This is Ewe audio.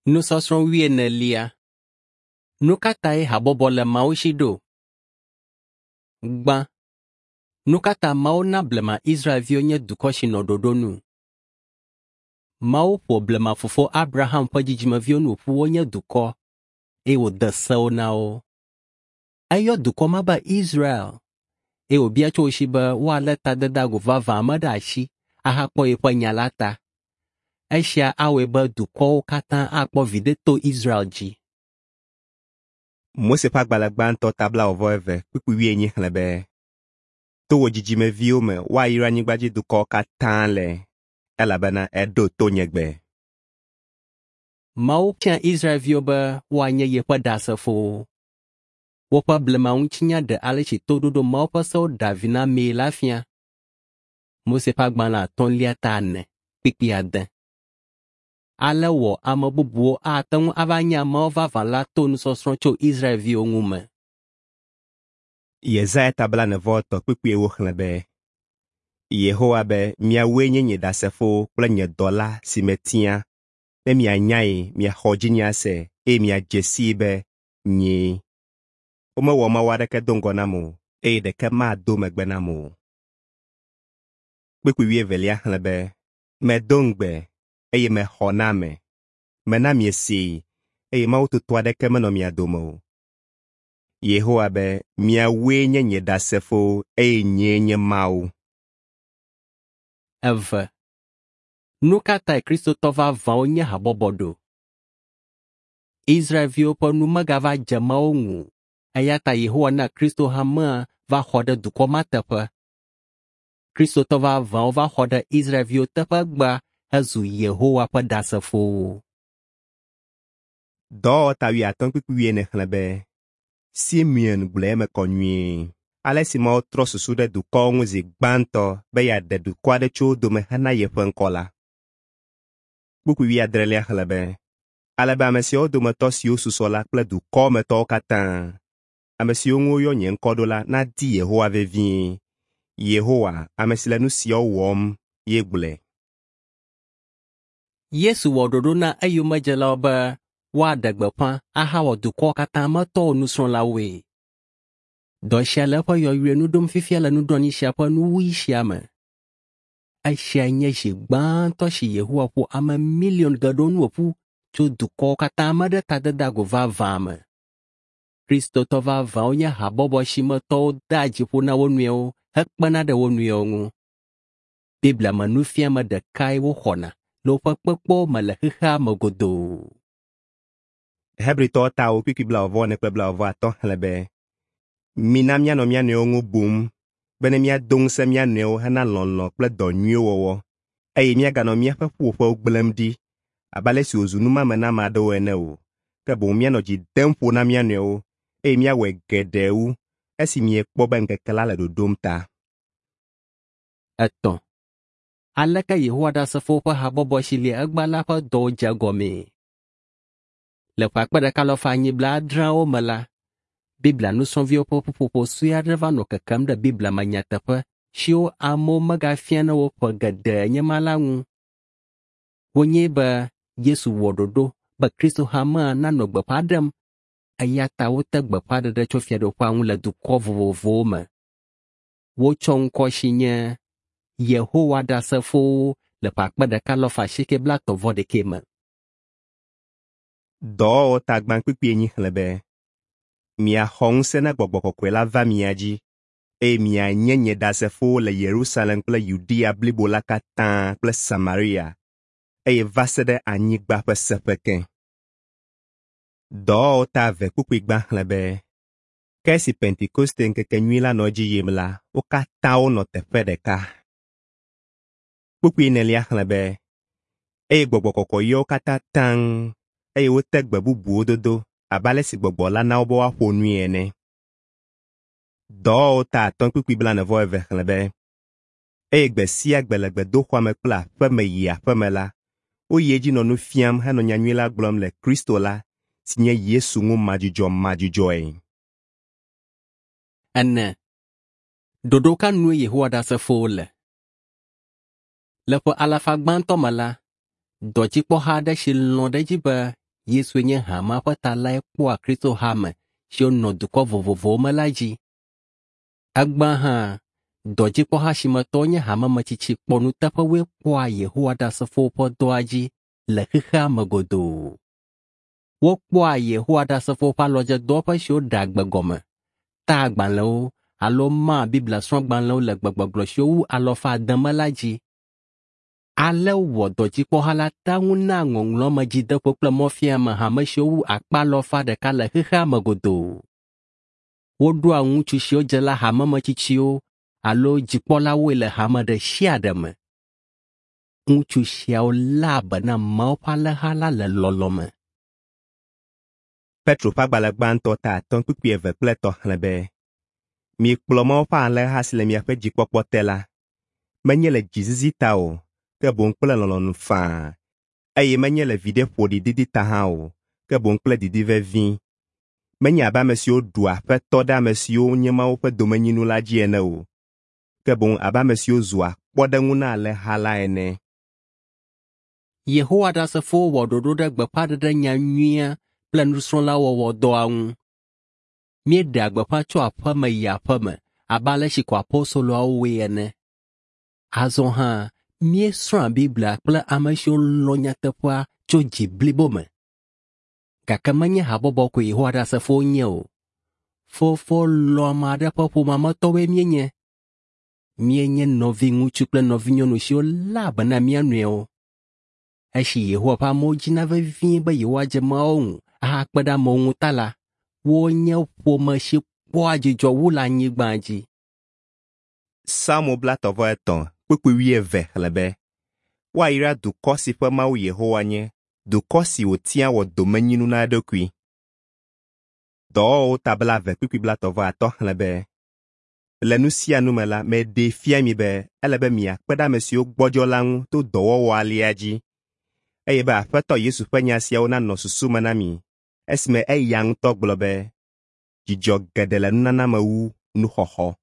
Nusɔsrɔ̃ wuienelia. Nu ka tae habɔbɔ le Mawu si ɖo? Gbã, nu ka ta Mawu na blema Israelviwo nye dukɔ si nɔ ɖoɖo nu? Mawu ƒo blema fofo Abraham ƒe dzidzimeviwo nu ƒu wonye dukɔ eye wòde sewo na wo. Eyɔ dukɔ ma be Israel eye wòbia tso wo si be woalé tadedeagu vavã me ɖe asi ahakpɔ yeƒe nya la ta. Esia awɔe be dukɔwo katã akpɔ viɖe to Israel dzi. Mose ƒe agbalẽ gbãtɔ ta blaeve kpukpui wuienyi xlẽ be, To wò dzidzimeviwo me woayra anyigbadzidukɔwo katã le, elabena èɖo to nye gbe. Mawu tia Israelviwo be woanye yeƒe ɖasefowo. Woƒe blemaŋutinya ɖe ale si toɖoɖo Mawu ƒe sewo ɖea vi na amee la fia. Mose ƒe agbalẽ atɔ̃lia ta ene kpukpui ade. Ale wɔ ame bubuwo ate ŋu ava nye Mawu vavã la to nusɔsrɔ̃ tso Israelviwo ŋu me. Yesaya ta blaene-vɔ-etɔ̃ kpukpui ewo xlẽ be, Yehowa be, miawoe nye nye ɖasefowo kple nye dɔla si metia, ne mianyae, miaxɔ dzinye ase eye miadze sii be nyee. Womewɔ mawu aɖeke do ŋgɔ nam o, eye ɖeke mado megbe nam o. Kpukpui wuievelia xlẽ be, Medo ŋugbe eye mexɔ na ame. Mena miesee eye Mawu toto aɖeke menɔ mia dome o. Yehowa be, miawoe nye nye ɖasefowo eye nyee nye Mawu. Eve. Nu ka tae Kristotɔ vavãwo nye habɔbɔ ɖo? Israelviwo ƒe nu megava dze Mawu ŋu o, eya ta Yehowa na Kristo hamea va xɔ ɖe dukɔ ma teƒe. Kristotɔ vavãwo va xɔ ɖe Israelviwo teƒe egbea hezu Yehowa ƒe ɖasefowo. Dɔwɔwɔ ta wuiatɔ̃ kpukpui wuiene xlẽ be, Simeon gblɔe eme kɔ nyuie. Ale si Mawu trɔ susu ɖe dukɔwo ŋu zi gbãtɔ be yeaɖe dukɔ aɖe tso wo dome hena yeƒe ŋkɔ la. Kpukpui wuiadrelia xlẽ be, ale be ame siawo dometɔ siwo susɔ la kple dukɔwo me tɔwo katã, ame siwo ŋu woyɔ nye ŋkɔ ɖo la nadi Yehowa vevie. Yehowa, ame si le nu siawo wɔm, ye gblɔe. Yesu wɔ ɖoɖo na eyomedzelawo be woaɖe gbeƒã ahawɔ dukɔwo katã me tɔwo nusrɔ̃lawoe. Dɔ sia le eƒe yɔyrɔe nu ɖom fifia le nuɖoanyi sia ƒe nuwuɣi sia me. Esiae nye zi gbãtɔ si Yehowa ƒo ame miliɔn geɖewo nu ƒu tso dukɔwo katã me ɖe tadedeagu vavã me. Kristotɔ vavãwo nye habɔbɔ si me tɔwo dea dzi ƒo na wo nɔewo hekpena ɖe wo nɔewo ŋu. Biblia me nufiame ɖekae woxɔna le woƒe kpekpewo me le xexea me godoo. Hebritɔwo ta wo kpukpui blaeve-vɔ-ene kple blaeve-vɔ-atɔ̃ xlẽ be, Mina míanɔ mía nɔewo ŋu bum bene míado ŋusẽ mía nɔewo hena lɔlɔ̃ kple dɔ nyuiwo wɔwɔ, eye míaganɔ míaƒe ƒuƒoƒewo gblẽm ɖi abe ale si wòzu numame na ame aɖewo ene o, ke boŋ míanɔ dzi dem ƒo na mía nɔewo eye míawɔe geɖe wu esi miekpɔ be ŋkeke la le ɖoɖom ta. Etɔ̃. Aleke Yehowa Ɖasefowo ƒe habɔbɔ si li egbea la ƒe dɔwo dze egɔmee? Le ƒe akpe ɖeka alafa enyi blaadreawo me la, Biblia nusrɔ̃viwo ƒe ƒuƒoƒo sue aɖe va nɔ kekem ɖe Biblia me nyateƒe siwo amewo megafiana wo ƒe geɖe nye ma la ŋu. Wonyae be Yesu wɔ ɖoɖo be Kristo hamea nanɔ gbeƒã ɖem eya ta wote gbeƒãɖeɖe tso Fiaɖuƒea ŋu le dukɔ vovovowo me. Wotsɔ ŋkɔ si nye Yehowa Ɖasefowo le ƒe akpe ɖeka alafa asieke blaetɔ̃ vɔ ɖekɛ me. Dɔwɔwɔ ta gbã kpukpui enyi xlẽ be, Miaxɔ ŋusẽ ne Gbɔgbɔ Kɔkɔe la va mia dzi, eye mianye nye ɖasefowo le Yerusalem kple Yudea blibo la katã kple Samaria, eye va se ɖe anyigba ƒe seƒe ke. Dɔwɔwɔ ta eve kpukpui gbã xlẽ be, Ke esi Pentekoste ŋkekenyui la nɔ edzi yim la, wo katã wonɔ teƒe ɖeka. Kpukpui enelia xlẽ be, eye Gbɔgbɔ Kɔkɔe yɔ wo katã taŋ eye wote gbe bubuwo dodo abe ale si Gbɔgbɔ la na wo be woaƒo nui ene. Dɔwɔwɔ ta atɔ̃ kpukpui blaene-vɔ-eve xlẽ be, eye gbe sia gbe le gbedoxɔa me kple aƒe me yi aƒe me la, woyi edzi nɔ nu fiam henɔ nyanyui la gblɔm le Kristo la, si nye Yesu ŋu madzudzɔmadzudzɔe. Ene. Ɖoɖo ka nue Yehowa Ɖasefowo le? Le ƒe alafa gbãtɔ me la, dɔdzikpɔha aɖe si lɔ̃ ɖe edzi be Yesue nye hamea ƒe ta lae kpɔa Kristo hame siwo nɔ dukɔ vovovowo me la dzi. Egbea hã, dɔdzikpɔha si me tɔwo nye hamemetsitsi kpɔnuteƒewoe kpɔa Yehowa Ɖasefowo ƒe dɔa dzi le xexea me godoo. Wokpɔa Yehowa Ɖasefowo ƒe alɔdzedɔwɔƒe siwo ɖea gbe gɔme, taa agbalẽwo alo maa Biblia srɔ̃gbalẽwo le gbegbɔgblɔ siwo wu alafa ade me la dzi. Ale wɔ dɔdzikpɔha la tea ŋu naa ŋɔŋlɔ me dzideƒo kple mɔfiame hame siwo wu akpa alafa ɖeka le xexea me godoo. Woɖoa ŋutsu siwo dze la hamemetsitsiwo alo dzikpɔlawoe le hame ɖe sia ɖe me. Ŋutsu siawo léa be na Mawu ƒe alẽha la le lɔlɔ̃ me. Petro ƒe agbalẽ gbãtɔ ta 5 kpukpui 2 kple 3 xlẽ be, Mikplɔ Mawu ƒe alẽha si le miaƒe dzikpɔkpɔ te la, menye le dzizizi ta o, ke boŋ kple lɔlɔ̃nu faa, eye menye le viɖe ƒoɖi didi ta hã o, ke boŋ kple didi vevi. Menye abe ame siwo ɖua aƒetɔ ɖe ame siwo nye Mawu ƒe domenyinu la dzi ene o, ke boŋ abe ame siwo zua kpɔɖeŋu na alẽha la ene. Yehowa Ɖasefowo wɔ ɖoɖo ɖe gbeƒãɖeɖe nya nyuia kple nusrɔ̃lawɔwɔ dɔa ŋu. Míeɖea gbeƒã tso aƒe me yi aƒe me abe ale si ko apostoloawo wɔe ene. Azɔ hã, míesrɔ̃a Biblia kple ame siwo lɔ̃ nyateƒea tso dzi blibo me. Gake menye habɔbɔ koe Yehowa Ɖasefowo nye o. Fofo lɔ̃ame aɖe ƒe ƒomea me tɔwoe míenye. Míenye nɔviŋutsu kple nɔvinyɔnu siwo léa be na mía nɔewo. Esi Yehowa ƒe amewo dzina vevie be yewoadze Mawu ŋu ahakpe ɖe amewo ŋu ta la, wonye ƒome si kpɔa dzidzɔ wu le anyigba dzi. Psalmo 33 kpukpui 20 xlẽ be, Woayra dukɔ si ƒe Mawu Yehowa nye, dukɔ si wòtia wɔ domenyinu na eɖokui. Dɔwɔwɔwo ta 20 kpukpui 35 xlẽ be, Le nu sia nu me la, meɖee fia mi be ele be miakpe ɖe ame siwo gbɔdzɔ la ŋu to dɔwɔwɔ alea dzi, eye be Aƒetɔ Yesu ƒe nya siawo nanɔ susu me na mi, esime eya ŋutɔ gblɔ be, dzidzɔ geɖe le nunana me wu nuxɔxɔ.